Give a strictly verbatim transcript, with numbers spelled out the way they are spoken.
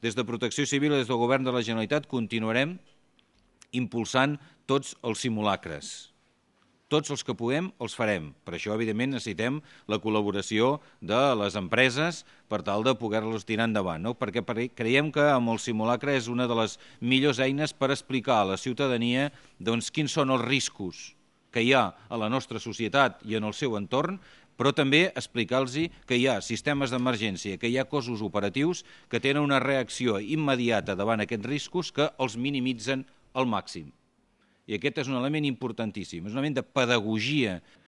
des de Protecció Civil i des del Govern de la Generalitat continuarem impulsant tots els simulacres. Tots els que puguem els farem. Per això, evidentment, necessitem la col·laboració de les empreses per tal de poder-los tirar endavant, no? Perquè creiem que amb el simulacre és una de les millors eines per explicar a la ciutadania doncs, quins són els riscos que hi ha a la nostra societat i en el seu entorn, però també explicar-los que hi ha sistemes d'emergència, que hi ha cossos operatius que tenen una reacció immediata davant aquests riscos que els minimitzen al màxim. I aquest és un element importantíssim, és un element de pedagogia.